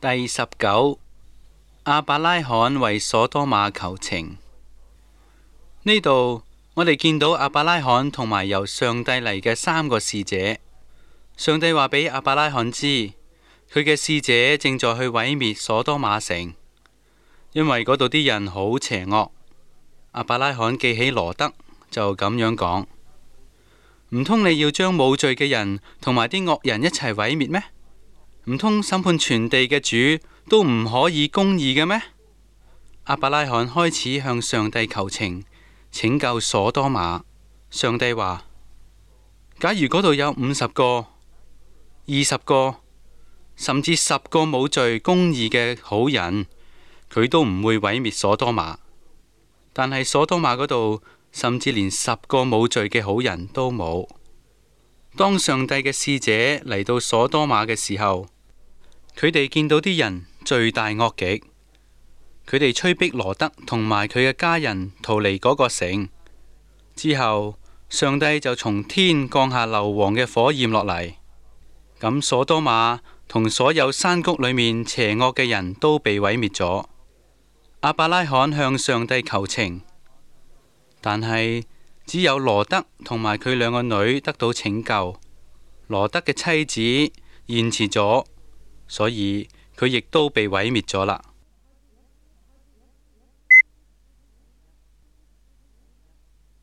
第19，亞伯拉罕為所多瑪求情。呢度我哋見到亞伯拉罕同埋由上帝嚟嘅3個使者。上帝話俾亞伯拉罕知，佢嘅使者正在去毀滅所多瑪城，因為嗰度啲人好邪惡。亞伯拉罕記起羅德，就咁樣講：唔通你要將冇罪嘅人同埋啲惡人一齊毀滅咩？唔通審判全地嘅主都唔可以公義嘅咩？亞伯拉罕開始向上帝求情，拯救所多瑪。上帝話：假如嗰度有50個、20個，甚至10個冇罪公義嘅好人，佢都唔會毀滅所多瑪。但係所多瑪嗰度，甚至連10個冇罪嘅好人都冇。當上帝嘅使者嚟到所多瑪嘅時候，佢哋見到啲人罪大惡極，佢哋催逼羅德同埋佢嘅家人逃離嗰個城。之後，上帝就從天降下硫磺嘅火焰落嚟，咁所多瑪同所有山谷裏面邪惡嘅人都被毀滅咗。亞伯拉罕向上帝求情，但係只有羅德同埋佢2個女得到拯救。羅德嘅妻子延遲咗，所以佢亦都被毀滅咗啦。